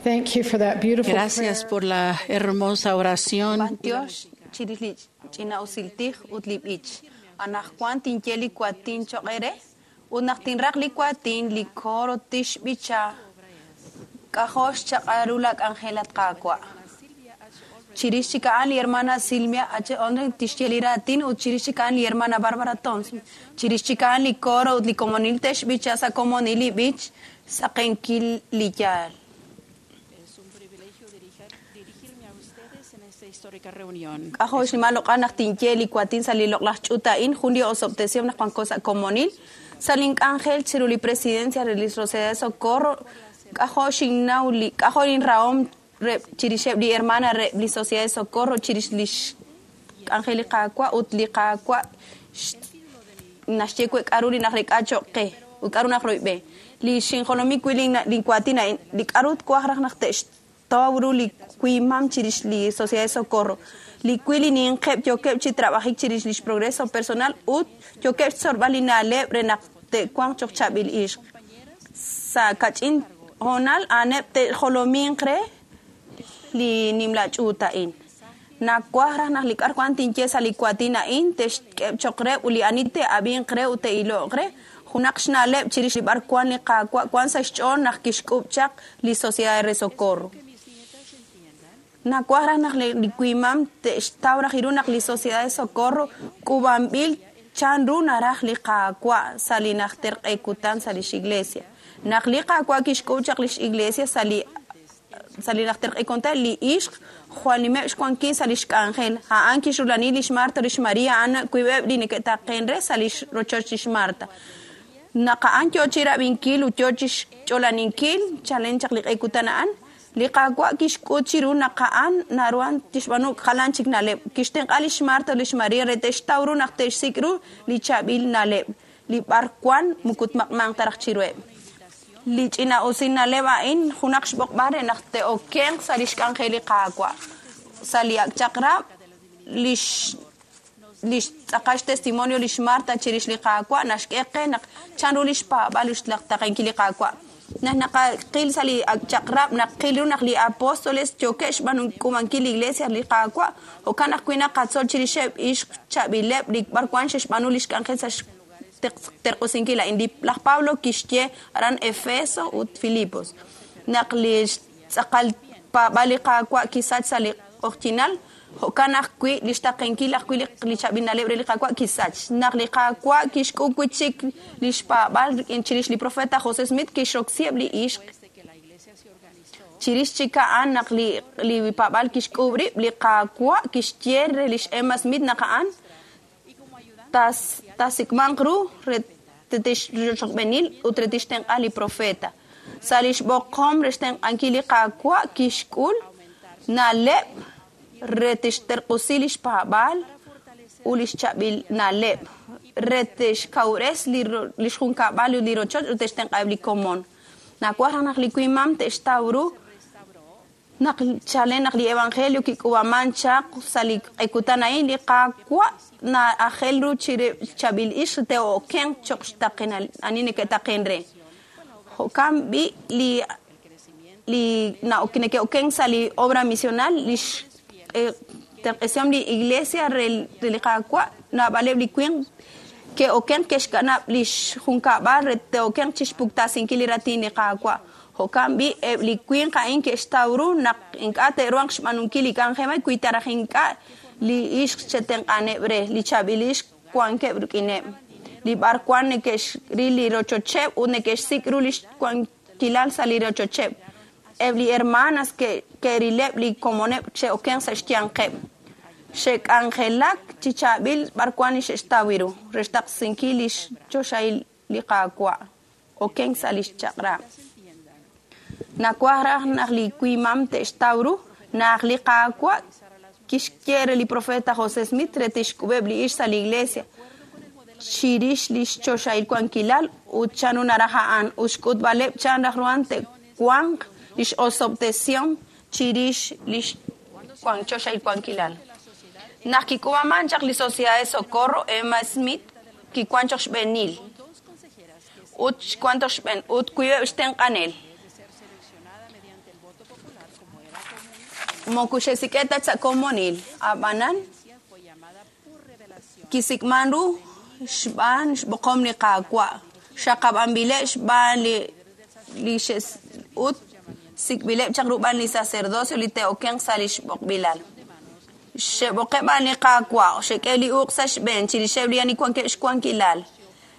Thank you for that beautiful Gracias prayer. por la hermosa oración. B'antiox chirix li ch'ina usiltij ut li b'ich. Anajwan tinye li kuatin choq' ere ut naq tinraq li kuatin li coro tixb'icha k'ajol xchaq'al ru la k'anjel at Qaawa'. Chirix chik a'an li hermana Silvia H. Ondre tixye li raatin ut chirix chik a'an li hermana Barbara Thompson. Chirix chik a'an li coro ut li komonil te'xb'icha sa' komonil li b'ich saqenkil li yaal. Es un privilegio dirigirme a ustedes en esta histórica reunión. K'ajol xnimal loq'al naq tinye li kuatin sa' li loq'laj ch'uut a'in jun li osob'tesihom naq wanko sa' komonil. Sa' link'anjel chiru li presidencia re li Sociedad de Socorro k'ajol xinnaw li k'ajol inrahom re chirixeb' li hermana re li Sociedad de Socorro chirix lix k'anjel li Qaawa' ut li Qaawa' naxye we k'aru li naq rek'a choq' qe ut k'aru naq royb'e. Li xinjolomi wi' linkuatin a'in li k'aru twaj raj naq te'xtaw ru li kuimam chirix li Sociedad de Socorro. Li wi' li ninqeb' yookeb' chi trabajik chirix lix progreso personal ut yookeb' xtzolb'al li na'leb' re naq te'wanq choq' chaab'il ixq. Sa' kach'in hoonal a'aneb' te'jolominq re li nimla ch'uut a'in. Nawaj raj naq li k'ar wan tinye sa' li kuatin a'in te'xk'eb' choq' re ut li ani te'ab'inq re ut te'iloq re junaq xna'leb' chirix li b'ar wan li Qaawa' wan sa' xch'ool naq kixk'ub' chaq li Sociedad de Socorro. Que mis nietas entiendan Nawaj raj naq li kuimam te'xtaw raj ru naq li Sociedad de Socorro k'uub'anb'il chanru naraj li Qaawa' sa' li najter q'e kutan sa' lix iglesia. Naq li Qaawa' kixk'ub' chaq lix iglesia sa' li najter q'e kutan li ixq jwal nimeb' xwankil sa' lix k'anjel. A'an kixrulani lix Marta lix Maria a'an kuib'eb' li neke'taqen re sa' lix rochoch lix Marta. Naq a'an yoo chi rab'inkil ut yoo chi xch'olaninkil chalen chaq li q'e kutan a'an, li Qaawa' kixk'ut chiru naq a'an naruhan tixb'aanu jalan chik na'leb'. Kixtenq'a lix Marta ut lix Maria re te'xtaw ru naq te'xsik' ru li chaab'il na'leb', li b'ar wan moko tmaq'manq ta raj chiruheb'. Li ch'ina'usil na'leb' a'in junaq xb'oqb'al re naq te'okenq sa' lix k'anjel li Qaawa'. Sa' li ak' chaq'rab' lix tz'aqal xtestimonio lix Marta chirix li Qaawa' naxk'e qe naq chanru lix paab'al ut xtaqenkil li Qaawa'. Naq naqaqil sa' li ak' chaq'rab' naqil ru naq li apóstoles yookeb' xb'aanunk'umankil li iglesia li Qaawa', jo'kan ajwi' naqatzol chirixeb' ixq chaab'ileb' li b'ar wan xe'xb'aanu lix k'anjel sa' xterq'usinkil a'in. Laj Pablo kixye aran Efeso ut Filipos naq li tz'aqal paab'al li Qaawa' kisach sa' li q'oqyinal, jo'kan ajwi' li xtaqenkil ajwi' li chaab'il na'leb' re li Qaawa' kisach. Naq li Qaawa' kixk'ub' wi' chik li xpaab'al rik'in chirix li profeta José Smith kixroksiheb' li ixq. desde que la iglesia se organizó. Chirix chik a'an naq li paab'al kixk'ub' rib', li Qaawa' kixye re lix Emma Smith naq a'an Y como ayudante tasik'manq ru re tixrochb'eenil ut re tixtenq'a li profeta. Sa' lix b'oqom re xtenq'ankil li Qaawa' kixk'ul na'leb' re tixterq'usi lix paab'al ut lix chaab'il na'leb' re tixkawres lix junkab'al ut li rochoch ut te'xtenq'aheb' li komon. Nawaj raj naq li kuimam te'xtaw ru naq chalen naq li evangelio kik'uub'aman chaq sa' li q'e kutan a'in li Qaawa' na'ajel ru chire chaab'il ixq te'okenq choq' xtaqenal ani neke'taqen re. Jo'kan b'i' li neke'okenk sa' li obra misional lix terq'esihom li iglesia re li Qaawa' naab'aleb' li winq ke'okenq ke'xkanab' lix junkab'al re te'okenq chixpuktasinkil li raatin li Qaawa'. Jo'kan b'i' eb' li winq a'in ke'xtaw ru naq ink'a' te'ruhanq xb'aanunkil li k'anjel wi ta raj ink'a' li ixq che'tenq'aneb' re, li chaab'il ixq wankeb' rik'ineb'. Li b'ar wan neke'xril li rochocheb' ut neke'xsik' ru lix wankilal sa' li rochocheb'. Eb' li hermanas ke'rileb' li komoneb' che'okenq sa' xyanqeb'. Xe'k'anjelak chi chaab'il b'ar wan li xe'xtaw ru re xtaqsinkil lix choxahil li Qaawa'. Okenk sa' lix chaq'rab'. entiendan Nawaj raj naq li kuimam te'xtaw ru naq li Qaawa' kixye re li profeta José Smith re tixk'ub'eb' li ixq sa' li iglesia chirix lix choxahil wankilal ut chanru naraj a'an ut xk'utb'aleb' chan raj ruhan te'wanq lix osob'tesihom chirix lix choxahil wankilal. Naq kik'uub'aman chaq li Sociedad de Socorro, Emma Smith kiwan choq xb'eenil dos consejeras que ut xwan choq xb'een ut kuib'eb' xtenq'anel. de ser seleccionada mediante el voto voto popular como era común Moko xe'sik'e' ta sa' komonil, ab'anan fue llamada por revelación kisik'man ru xb'aan xb'oqom li Qaawa', xaqab'anb'ileb' xb'aan li li xe's- ut sik'b'ileb' chaq ru b'aan li sacerdocio li te'okenq sa' li xb'oqb'ilal. Xe'b'oqe' b'aan li Qaawa', xe'k'e li uq' sa' xb'een chirixeb' li ani wankeb' xwankilal.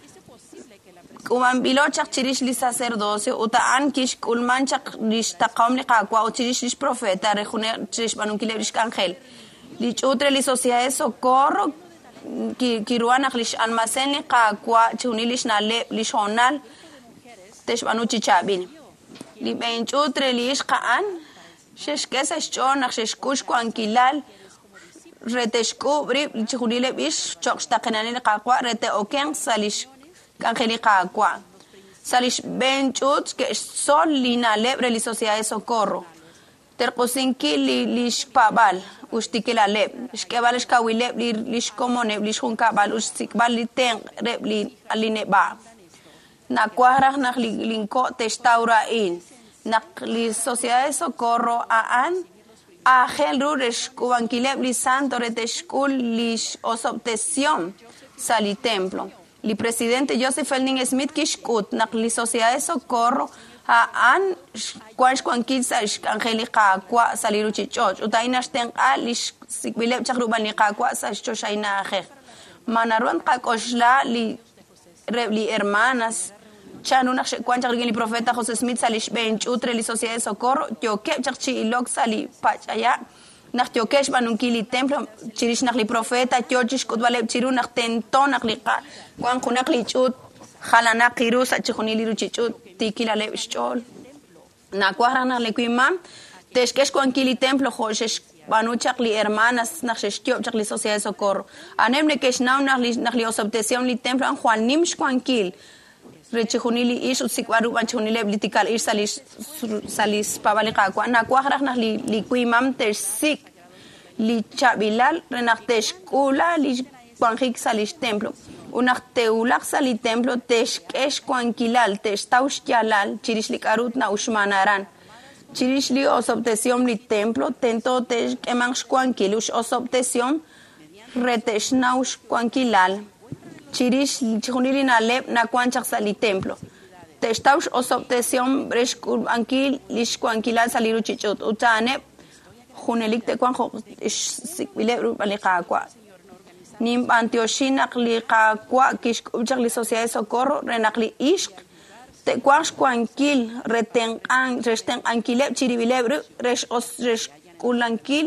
Hizo posible que la K'uub'anb'ilo chaq chirix li sacerdocio ut a'an kixk'ulman chaq li xtaqahom li Qaawa' ut chirix lix profeta re june- chirix xb'aanunkileb' lix k'anjel. Li ch'uut re li Sociedad de Socorro ki- kiruhan naq lix almacén li Qaawa' chixjunil lix na'leb' lix hoonal te'xb'aanu chi chaab'il. Li b'een ch'uut re li ixq a'an xe'xk'e sa' xch'ool naq xe'xk'ul xwankilal re te'xk'uub' rib' chixjunileb' ixq cho'q xtaqenalil li Qaawa' re te'okenq sa' lix k'anjel li Qaawa'. Sa' lix b'een ch'uut ke'xtzol li na'leb' re li Sociedad de Socorro. Terq'usinkil li lix paab'al ut xtikilaleb', xk'eeb'al xkawileb' li lix komoneb' lix junkab'al ut xsik'b'al li tenq' reb' li li neb'a'. Nawaj raj naq li linko' te'xtaw ru a'in, naq li Sociedad de Socorro a'an aajel ru re xk'uub'ankileb' li santo re te'xk'ul lix osob'tesihom sa' li templo. Li presidente Joseph Fielding Smith kixk'ut naq li Sociedad de Socorro a'an wan xwankil sa' xk'anjel li Qaawa' sa' li ruchich'och' ut a'in naxtenq'a li xsik'b'ileb' chaq ru b'an li Qaawa' sa' xchoxahil na'ajej. Ma naru tqak'oxla li reb' li hermanas chanru naq xe'wan chaq rik'in li profeta José Smith sa' li xb'een ch'uut re li Sociedad de Socorro yookeb' chaq chi ilok sa' li pach'aya' naq yookeb' xb'aanunkil li templo chirix naq li profeta yoo chixk'utb'aleb' chiru naq tento naq li qa wan junaq li ch'uut jalanaq ru sa' chixjunil li ruchich'uut tiikilaleb' xch'ool. Nawaj raj naq li wimam te'xk'e xwankil li templo jo' xe'xb'aanu chaq li hermanas naq xe'xyoob' chaq li Sociedad de Socorro. A'aneb' neke'xnaw naq li naq li osob'tesihom li templo a'an jwal nim xwankil re chixjunil li ixq ut xsik'b'al ru b'an chixjunileb' li tikal ixq sa' li sa' li xpaab'al li Qaawa'. Nawaj raj naq li li wimam te'xsik' li chaab'ilal re naq te'xk'uula li wanjik sa' lix templo. Ut naq te'wulaq sa' li templo te'xk'e xwankilal, te'xtaw xyaalal chirix li k'a'ru na'uxman aran. Chirix li osob'tesihom li templo tento te'k'eemanq xwankil ut x'osob'tesihom re te'xnaw xwankilal chirix chixjunil li na'leb' nawan chaq sa' li templo. Te'xtaw x'osob'tesihom re xk'uub'ankil li xwankilal sa' li ruchich'och' ut a'aneb' junelik te'wanq jo' xsik'b'ileb' ru b'an li Qaawa'. Ninb'antioxi naq li Qaawa' kixk'uub' chaq li Sociedad de Socorro re naq li ixq te'wanq xwankil re tenq'an re xtenq'ankileb' chirib'ileb' rib' re x'os- re xk'uulankil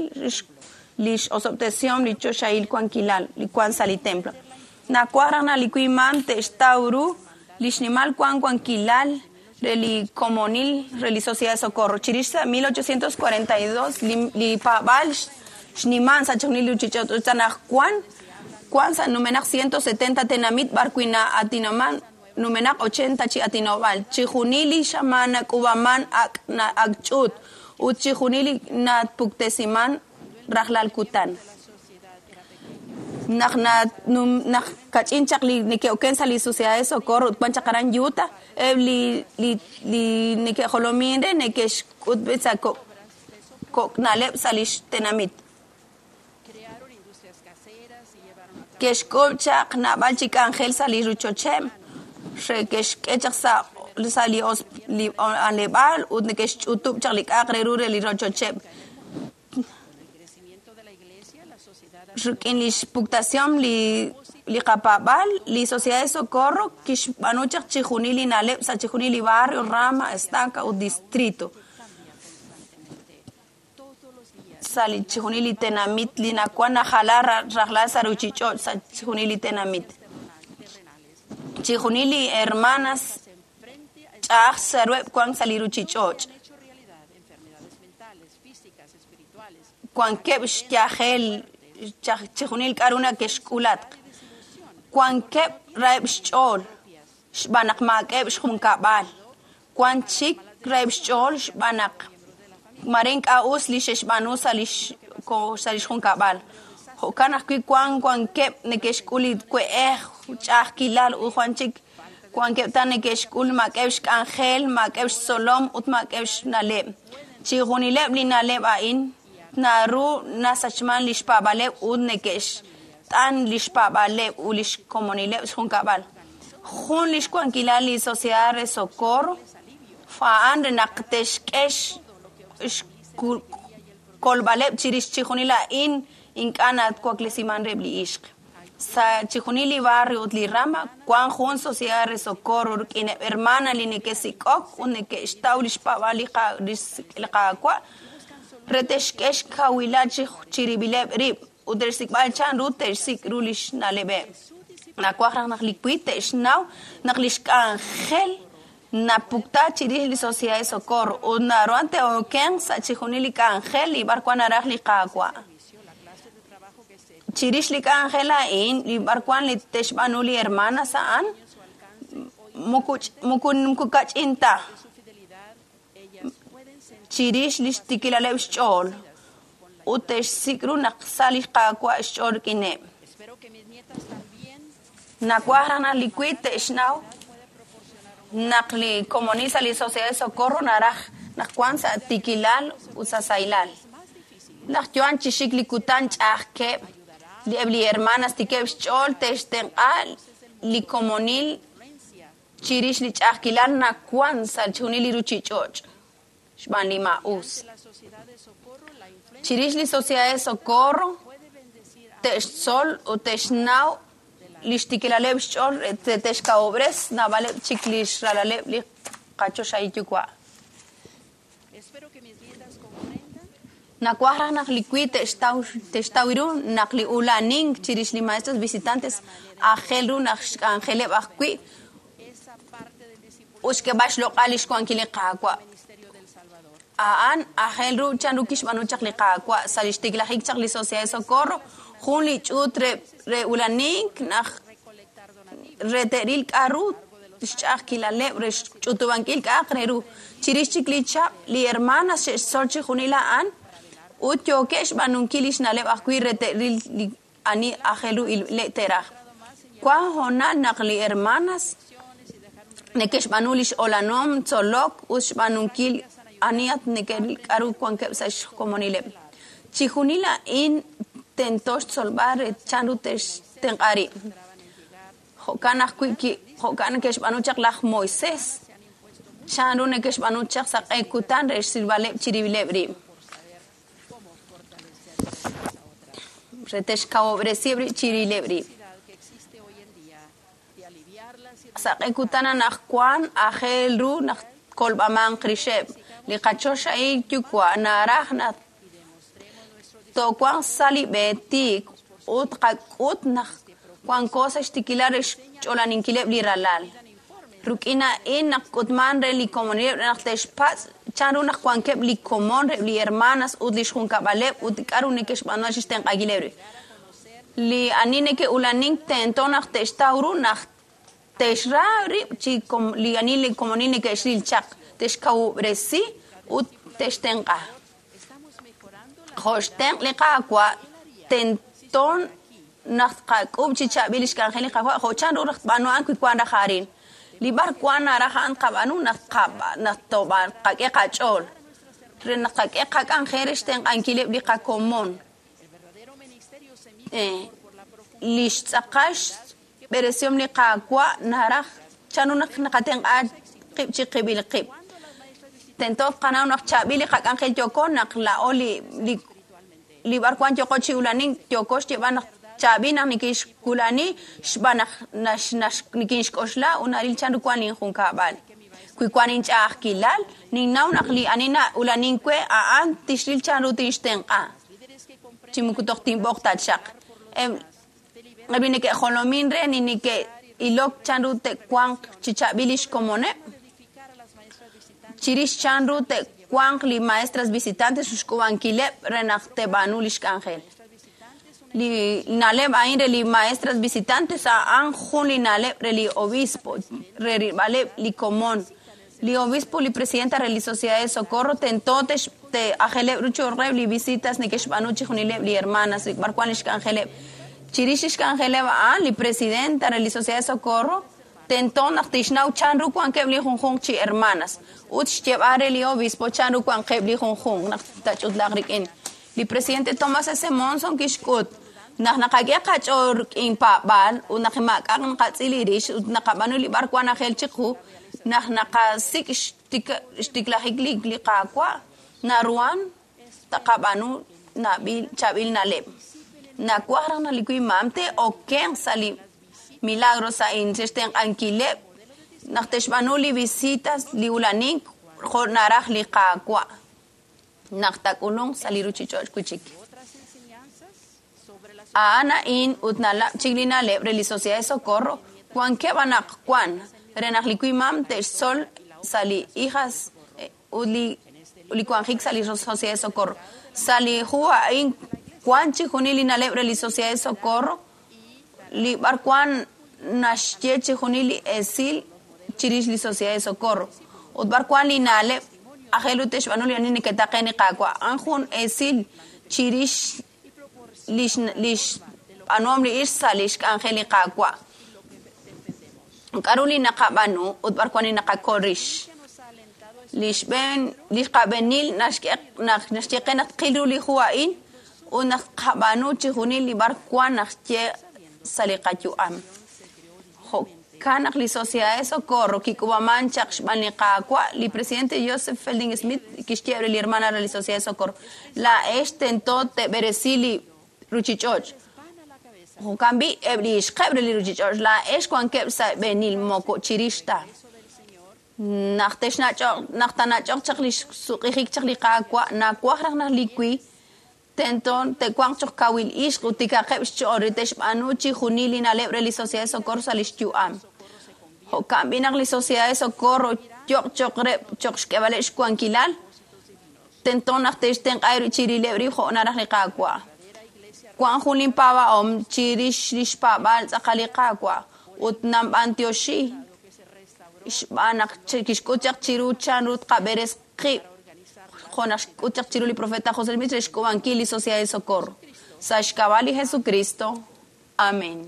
li x'osob'tesihom li choxahil wankilal li wan sa' li templo. Nawaj raj naq li wimam te'xtaw ru li xnimal wan wankilal re li komonil re li Sociedad de Socorro. Chirix sa' 1842 li li paab'al xniman sa' chixjunil li ruchich'och' ut anaqwan wan sa' numenaq 170 tenamit b'ar wi' na'aatinaman numenaq 80 chi aatinob'aal. Chixjunil li xamaan nak'uub'aman ak' na ak' ch'uut ut chixjunil li napuktesiman rajlal kutan. Naq na num naq kach'in chaq li neke'oken sa' li Sociedad de Socorro ut wan chaq aran Utah, eb' li li li neke'jolomin re neke'xk'utb'e sa' kok' kok' na'leb' sa' lix tenamit. crearon industrias caseras y llevaron a cabo Ke'xk'uub' chaq naab'al chi k'anjel sa' li ruchocheb' re ke'xk'e chaq sa' sa' li os li aleb'aal ut neke'xch'utub' chaq li k'a'aq re ru re li rochocheb'. con el crecimiento de la iglesia, la sociedad Rik'in li xpuktasihom li li qapaab'al, li Sociedad de Socorro kixb'aanu chaq chixjunil li na'leb' sa' chixjunil li barrio, rama, estaca ut distrito. cambia constantemente. Todos los días Sa' li chixjunil li tenamit li nawan najala rajlal sa' ruchich'och' sa' chixjunil li tenamit. terrenales Chixjunil li hermanas se enfrente a ch'a'aj sa' ruheb' wan sa' li ruchich'och'. han hecho realidad enfermedades mentales, físicas, espirituales, Wankeb' xyajel chaj- chixjunil k'a'ru nake'xk'ulatq. Wankeb' raheb' xch'ool xb'aan naq maak'eb' xjunkab'al. Wan chik raheb' xch'ool xb'aan naq mare ink'a' us li xe'xb'aanu sa' lix ko- sa' lix junkab'al. Jo'kan ajwi' wan wankeb' neke'xk'ul li we'ej, ch'a'ajkilal ut wan chik wankeb' ta neke'xk'ul maak'eb' xk'anjel, maak'eb' xtzolom ut maak'eb' xna'leb'. Chixjunileb' li na'leb' a'in naru nasachman li xpaab'aaleb' ut neke'xt'an li xpaab'aaleb' ut li xkomonileb' xjunkab'al. Jun li xwankilal li Sociedad re Socorro a'an re naq te'xk'e xkolb'aleb' chirix chixjunil a'in ink'a' nawaklesiman reheb' li ixq. Sa' chixjunil li barrio ut li rama wan jun Sociedad re Socorro rik'ineb' hermana li neke'sik'ok ut neke'xtaw li xpaab'aal li Qaawa' re te'xk'e xkawilal chirib'ileb' rib' ut re xsik'b'al chanru te'xsik' ru li xna'leb'eb'. Nawaj raj naq li wi te'xnaw naq li xk'anjel napukta chirix li Sociedad de Socorro ut naruhan te'okenq sa' chixjunil li k'anjel li b'arwan naraj li Qaawa'. Chirix li k'anjel a'in li b'arwan li te'xb'aanu li hermanas a'an muku kach'in ta chirix li xtikilaleb' xch'ool ut te'xsik' ru naq sa' li Qaawa' xch'ool rik'ineb'. Nawaj raj naq li wi te'xnaw naq li komonil sa' li Sociedad de Socorro naraj naq wan sa' tikilal ut sa' sahilal. Naq yo'an chi xik li kutan ch'a'ajkeb' li eb' li hermanas tikeb' xch'ool te'xtenq'a li komonil chirix li ch'a'ajkilal nawan sa' chixjunil li ruchich'och' xb'aan li maa'us. Chirix li Sociedad de Socorro te'xtzol ut te'xnaw li xtikilaleb' xch'ool te'xkawob'res naab'aleb' chik li xralaleb' li qachoxahil yuwa'. Nawaj raj naq li wi te'xtaw ru naq li ulanink chirix li maestros visitantes aajel ru naq xk'anjeleb' ajwi' ut xk'eeb'al xloq'al li xwankil li Qaawa'. A'an aajel ru chanru kixb'aanu chaq li Qaawa' sa' li xtiklajik chaq li Sociedad de Socorro jun li ch'uut re ulanink naq re te'ril k'a'ru xch'a'ajkilaleb' re xch'utub'ankil k'a'aq re ru. Chirix chik li chab' li hermanas xe'xtzol chixjunil a'an ut yookeb' xb'aanunkil li xna'leb' ajwi' re te'ril li ani aajel ru te'raj. Wan hoonal naq li hermanas neke'xb'aanu li x'olanom tzolok ut xb'aanunkil ani at neke'ril k'a'ru wankeb' sa' xkomonileb'. Chixjunil a'in tento xtzolb'al re chanru te'xtenq'a rib'. Jo'kan ajwi' jo'kan neke'xb'aanu chaq laj Moisés chanru neke'xb'aanu chaq sa' q'e kutan re xsilb'aleb' chirib'ileb' rib'. Re te'xkawob'resiheb' rib' chirib'ileb' rib'. Sa' q'e kutan anaqwan aajel ru naq kolb'amanq rixeb' li qachoxahil yuwa' naraj naq toowanq sa' li b'e tiik ut qak'ut naq wanko sa' xtikilal re xch'olaninkileb' li ralal. Rik'in a'in naq k'utman re li komonileb' naq te'xpatz' chanru naq wankeb' li komon reheb' li hermanas ut li xjunkab'aleb' ut k'a'ru neke'xb'aanu chi xtenq'ankileb' rib'. Li ani neke'ulanink tento naq te'xtaw ru naq te'xra rib' chi li ani li komonil neke'xril chaq te'xkawub'resi ut te'xtenq'a. Jo' xtenq' li Qaawa' tento naq tqak'ub' chi chaab'il li xk'anjel li Qaawa' jo' chanru raj tb'aanu a'an wi wan raj arin. Li b'arwan naraj a'an qab'aanu naq qak'e qach'ool re naq qak'e qak'anjel re xtenq'ankileb' li qakomon. Li xtz'aqal xb'eresihom li Qaawa' naraj chanru naq naqatenq'a qib' chi qib'il qib'. Tento qanaw naq chaab'il li qak'anjel yooko naq laa'o li b'arwan yooko chi ulanink yooko xyeeb'al naq chaab'il naq nikinxkulani xb'aan naq nikinxk'oxla ut naril chanru wan linjunkab'al. Wi wan inch'a'ajkilal ninnaw naq li ani na'ulanink we a'an tixril chanru tinxtenq'a. Chi muku toj tinb'oq ta chaq. Eb' li neke'jolomin re ni neke'ilok chanru te'wanq chi chaab'il li xkomoneb' chirix chanru te'wanq li maestras visitantes xk'ub'ankileb' re naq te'b'aanu li xk'anjel. Li na'leb' a'in re li maestras visitantes a'an jun li na'leb' re li obispo re rilb'aleb' li komon. Li obispo li presidenta re li Sociedad de Socorro tento te'ajeleb' ru cho'q li visitas neke'xb'aanu chixjunileb' li hermanas b'arwan li xk'anjeleb'. Chirix li xk'anjeleb' a'an li presidenta re li Sociedad de Socorro Tento naq tixnaw chanru wankeb' li junjunq chi hermanas ut xyeeb'al re li obispo chanru wankeb' li junjunq naq tach'utlaaq rik'in. Li presidente Thomas S. Monson kixk'ut naq naqak'e qach'ool rik'in paab'aal ut naq maak'a'aq naqatz'il rix ut naqab'aanu li b'arwan ajel chiqu naq naqasik' xtiklajik li Qaawa' naruhan taqab'aanu nab'il chaab'il na'leb'. Nawaj raj naq li wimam te'okenq sa' li milagros a'in xtenq'ankileb' naq te'xb'aanu li visitas li ulanink jo' naraj li Qaawa' naq taak'ulunq sa' li ruchich'och' wi'chik. Otras enseñanzas sobre la A'an a'in ut nalab' chik li na'leb' re li Sociedad de Socorro wankeb' anaqwan re naq li wimam te'xtzol sa' li hijas ut li wanjik sa' li Sociedad de Socorro. Sa' li hu a'in wan chijunil li na'leb' re li Sociedad de Socorro li b'arwan naxye chijunil li esil chirix li Sociedad de Socorro ut b'arwan li na'leb' ajel ut te'xb'aanu li ani neke'taqen li Qaawa'. A'an jun esil chirix lix b'aanuhom li ixq sa' lix k'anjel li Qaawa'. K'a'ru li naqab'aanu ut b'arwan li naqakol rix. nos ha alentado a Li xb'een li qab'eenil naxk'e naq naxye qe naq tqil ru li hu a'in ut naq tqab'aanu chijunil li b'arwan naxye sa' li qayu'am. Jo'kan naq li Sociedad de Socorro kik'uub'aman chaq xb'aan li Qaawa', li presidente Joseph Fielding Smith kixye re li hermana re li Sociedad de Socorro, laa'ex tento te'b'eresi li ruchich'och'. van a la cabeza Jo'kan b'i' eb' li ixqeb' re li ruchich'och' laa'ex wankeb' sa' b'eenil moko chirix ta. del Señor Naq texnach'oq naq tanach'oq chaq li xsuq'ijik chaq li Qaawa' nawaj raj naq li wi tento te'wanq choq kawil ixq ut tikaqeb' xch'ool re te'xb'aanu chijunil li na'leb' re li Sociedad de Socorro sa' lix yu'am. Jo'kan b'i' naq li Sociedad de Socorro yoq choq re choq xk'eb'aleb' xwankilal tento naq te'xtenq'a chirileb' rib' jo' naraj li Qaawa'. Wan jun linpaab'ahom chirix lix paab'aal tz'aqal li Qaawa' ut nanb'antioxi xb'aan naq kixk'ut chaq chiru chanru tqab'eres qib' jo' naq xk'ut chaq chiru li profeta José Smith re xk'uub'ankil li Sociedad de Socorro. Sa' xk'ab'a' li Jesucristo. Amén.